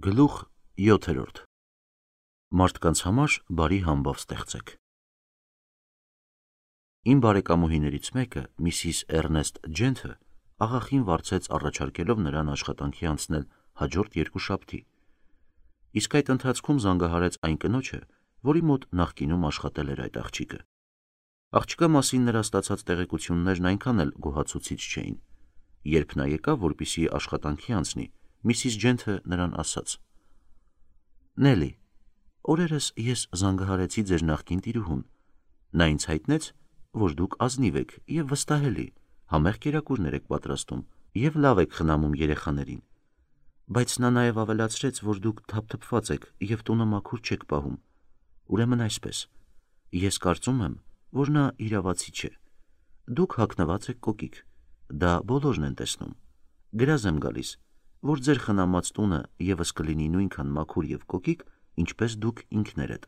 Գլուխ 7. Մարդկանց համար բարի համբավ ստեղծեք։ Իմ բարեկամուհիներից մեկը, Միսիս Էրնեստ Ջենթը, աղախին վարձեց առաջարկելով նրան աշխատանքի անցնել հաջորդ երկուշաբթի, իսկ այդ ընթացքում զանգահարեց այն կնոջը, որի մոտ նախկինում աշխատել էր այդ աղջիկը։ Աղջկա մասին նրա ստացած տեղեկություններն այնքան էլ գոհացուցիչ չէին։ Երբ նա եկավ, որպեսզի աշխատանքի անցնի, Միսիս Ջենթը նրան ասաց. Նելի, օրերս ես զանգահարեցի ձեր նախկին տիրուհուն։ Նա ինձ հայտնեց, որ դուք ազնիվ եք և վստահելի, համեղ կերակուրներ եք պատրաստում և լավ եք խնամում երեխաներին, բայց նա նաև ավելացրեց, որ դուք թափթփված եք և տունը մաքուր չեք պահում։ Ուրեմն այսպես, ես կարծում եմ, որ նա իրավացի չէ։ Դուք հագնված եք կոկիկ, դա բոլորն են տեսնում։ Գրազ եմ գալիս, որ ձեր խնամած տունը ևս կլինի նույնքան մաքուր և կոկիկ, ինչպես դուք ինքներդ։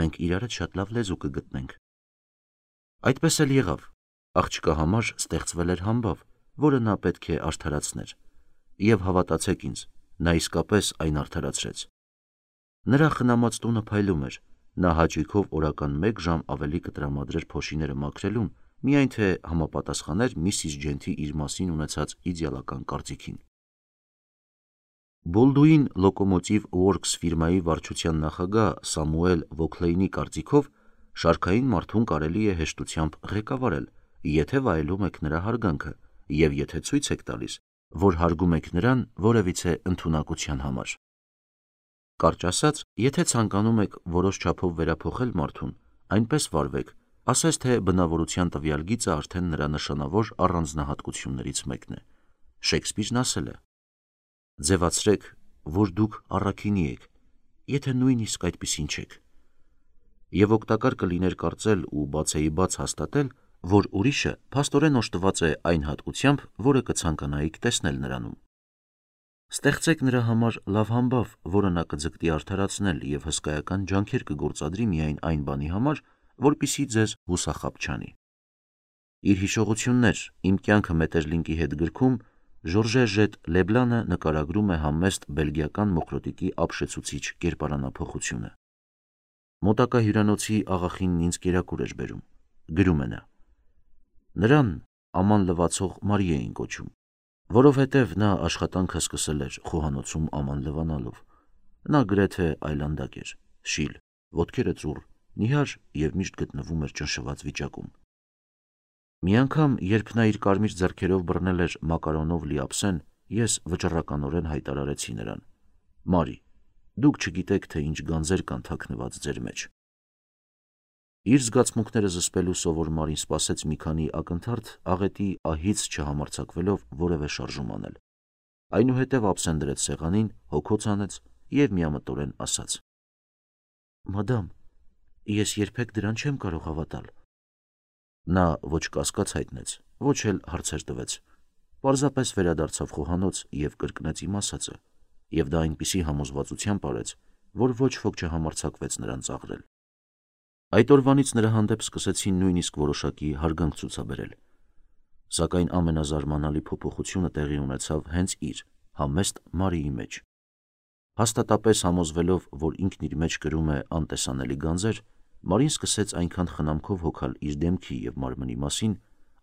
Մենք իրարդ շատ լավ լեզու կգտնենք։ Այդպես էլ եղավ, աղջկա համար ստեղծվել էր համբավ, որը նա պետք է արդարացներ, և հավատացեք ինձ, նա իսկապես այն արդարացրեց։ Նրա խնամած տունը փայլում էր, նա հաճույքով օրական 1 ժամ ավելի կտրամադրեր փոշիները մաքրելուն, միայն թե համապատասխաներ Միսիս Ջենթի իր մասին ունեցած իդեալական կարծիքին։ Բոլդուին Locomotive Works ֆիրմայի վարչության նախագահ Սամուել Վոքլեյնի կարծիքով շարքային մարդուն կարելի է հեշտությամբ ղեկավարել, եթե վայելում եք նրա հարգանքը և եթե ցույց եք տալիս, որ հարգում եք նրան որևիցե ընդունակության համար։ Կարճ ասած, եթե ցանկանում եք որոշ չափով վերափոխել մարդուն, այնպես վարվեք, ասես թե բնավորության տվյալ գիծը արդեն նրա նշանավոր առանձնահատկություններից մեկն է։ Շեքսպիրն ասել է. ձևացրեք, որ դուք առաքինի եք, եթե նույնիսկ այդպիսին չեք։ Եվ օգտակար կլիներ կարծել ու բացեիբաց հաստատել, որ ուրիշը փաստորեն օժտված է այն հատկությամբ, որը կցանկանայիք տեսնել նրանում։ Ստեղծեք նրա համար լավ համբավ, որը նա կձգտի արդարացնել և հսկայական ջանքեր կգործադրի միայն այն բանի համար, որպեսզի ձեզ հուսախաբ չանի։ Իր հիշողություններ «Իմ կյանքը Մետերլինկի հետ» գրքում Ժորժե Ժետ Լեբլանը նկարագրում է համեստ բելգիական մոխրոտիկի ապշեցուցիչ կերպարանափոխությունը։ Մոտակա հյուրանոցի աղախինն ինձ կերակուր էր բերում, գրում է նա։ Նրան Աման լվացող Մարի էին կոչում, որովհետև նա աշխատանքը սկսել էր խոհանոցում աման լվանալով։ Նա գրեթե այլանդակ էր, շիլ, ոտքերը ծուռ, նիհար և միշտ գտնվում էր ճնշված վիճակում։ Մի անգամ, երբ նա իր կարմիր ձեռքերով բռնել էր մակարոնով լի ափսեն, ես վճռականորեն հայտարարեցի նրան. Մարի, դուք չգիտեք, թե ինչ գանձեր կան թաքնված ձեր մեջ։ Իր զգացմունքները զսպելու սովոր Մարին սպասեց մի քանի ակնթարթ աղետի ահից չհամարձակվելով որևէ շարժում անել։ Այնուհետև ափսեն դրեց սեղանին, հոգոց հանեց և միամտորեն ասաց. Մադամ, ես երբեք դրան չեմ կարող հավատալ։ Նա ոչ կասկած հայտնեց, ոչ էլ հարցեր տվեց, պարզապես վերադարձավ խոհանոց և կրկնեց իմ ասածը, և դա այնպիսի համոզվածությամբ արեց, որ ոչ ոք չհամարձակվեց նրան ծաղրել։ Այդ օրվանից նրա հանդեպ սկսեցին նույնիսկ որոշակի հարգանք ցուցաբերել։ Սակայն ամենազարմանալի փոփոխությունը տեղի ունեցավ հենց իր համեստ Մարիի մեջ։ Հաստատապես համոզվելով, որ ինքն իր մեջ կրում է անտեսանելի գանձեր, Մարին սկսեց այնքան խնամքով հոգալ իր դեմքի և մարմնի մասին,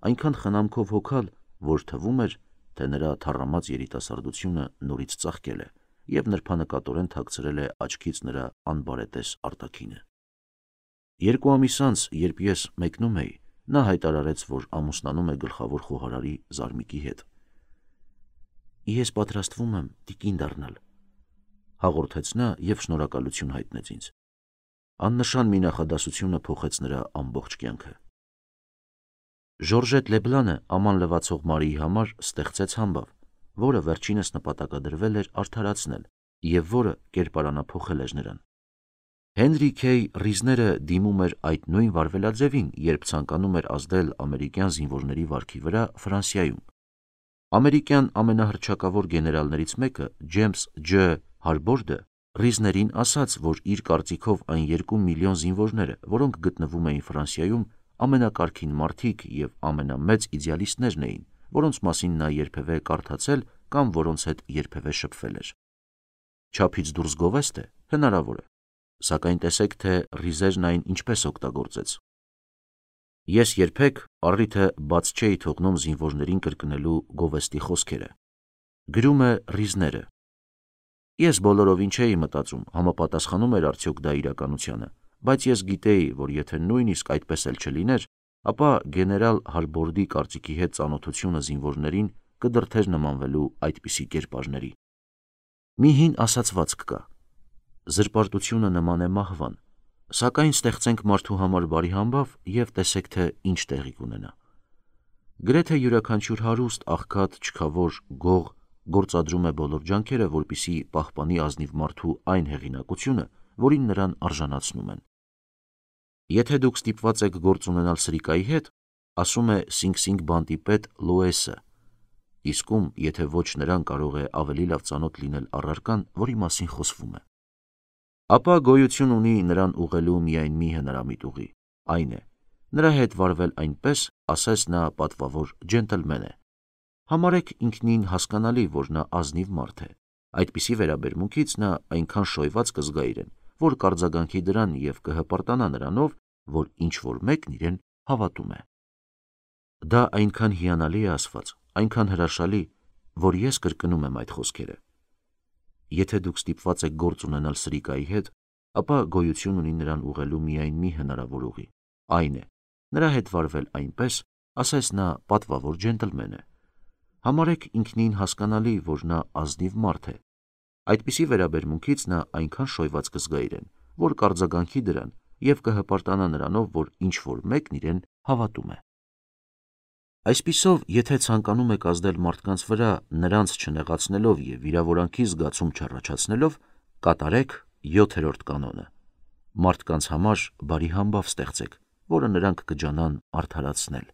այնքան խնամքով հոգալ, որ թվում էր, թե նրա թառամած երիտասարդությունը նորից ծաղկել է և նրբանկատորեն թաքցրել է աչքից նրա անբարետես արտաքինը։ 2 ամիս անց, երբ ես մեկնում էի, նա հայտարարեց, որ ամուսնանում է գլխավոր խոհարարի Զարմիկի հետ։ Ես պատրաստվում եմ տիկին դառնալ, հաղորդեց նա և շնորհակալություն հայտնեց ինձ։ Աննշան մի նախադասությունը փոխեց նրա ամբողջ կյանքը։ Ժորժետ Լեբլանը աման լվացող Մարիի համար ստեղծեց համբավ, որը վերջինս նպատակադրվել էր արդարացնել և որը կերպարանափոխել էր նրան։ Հենրի Քեյ Ռիզները դիմում էր այդ նույն վարվելաձևին, երբ ցանկանում էր ազդել ամերիկյան զինվորների վարքի վրա Ֆրանսիայում։ Ամերիկյան ամենահռչակավոր գեներալներից մեկը Ջեյմս Ջ. Հարբորդը Ռիզներին ասաց, որ իր կարծիքով այն 2 միլիոն զինվորները, որոնք գտնվում էին Ֆրանսիայում, ամենակարգին մարդիկ և ամենամեծ իդեալիստներն էին, որոնց մասին նա երբևէ կարդացել կամ որոնց հետ երբևէ շփվել էր։ չափից դուրս գովեստ է, հնարավոր է, սակայն տեսեք, թե Ռիզերն այն ինչպես օգտագործեց։ Ես երբեք առիթը բաց չէի թողնում զինվորներին կրկնելու գովեստի խոսքերը։ Գրում է Ռիզները։ Ես բոլորովին չէի մտածում, համապատասխանում էր արդյոք դա իրականությանը, բայց ես գիտեի, որ եթե նույնիսկ այդպես էլ չլիներ, ապա գեներալ Հալբորդի կարծիքի հետ ծանոթությունը զինվորներին կդրդեր նմանվելու այդպիսի կերպարների։ Մի հին ասացվածք կա. զրպարտությունը նման է մահվան, սակայն ստեղծենք մարդու համար բարի համբավ և տեսեք, թե ինչ տեղի կունենա։ Գրեթե յուրաքանչյուր հարուստ, աղքատ, չքավոր, գող գործադրում է բոլոր ջանքերը, որպեսզի պահպանի ազնիվ մարդու այն հեղինակությունը, որին նրան արժանացնում են։ Եթե դուք ստիպված եք գործ ունենալ սրիկայի հետ, ասում է Սինգ-Սինգ բանտի պետ Լոեսը, իսկում, եթե ոչ նրան կարող է ավելի լավ ծանոթ լինել առարկան, որի մասին խոսվում է։ Ապա գոյություն ունի նրան ուղղելու միայն մի հնարամիտ ուղի, այն է, նրա հետ վարվել այնպես, ասես նա պատվավոր ջենտլմեն է։ Համարեք ինքնին հասկանալի, որ նա ազնիվ մարդ է։ Այդպիսի վերաբերմունքից նա այնքան շոյված կզգա իրեն, որ կարձագանքի դրան և կհպարտանա նրանով, որ ինչ-որ մեկն իրեն հավատում է։ Դա այնքան հիանալի է ասված, այնքան հրաշալի, որ ես կրկնում եմ այդ խոսքերը։ Եթե դուք ստիպված եք գործ ունենալ սրիկայի հետ, ապա գոյություն ունի նրան ուղղելու միայն մի հնարավոր ուղի, այն է, նրա հետ վարվել այնպես, ասես նա պատվավոր ջենտլմեն է։ Համարեք ինքնին հասկանալի, որ նա ազնիվ մարդ է։ Այդպիսի վերաբերմունքից նա այնքան շոյված կզգա իրեն, որ կարձագանքի դրան և կհպարտանա նրանով, որ ինչ-որ մեկն իրեն հավատում է։ Այսպիսով, եթե ցանկանում եք ազդել մարդկանց վրա, նրանց չնեղացնելով և վիրավորանքի զգացում չառաջացնելով, կատարեք 7-րդ կանոնը. մարդկանց համար բարի համբավ ստեղծեք, որը նրանք կջանան արդարացնել։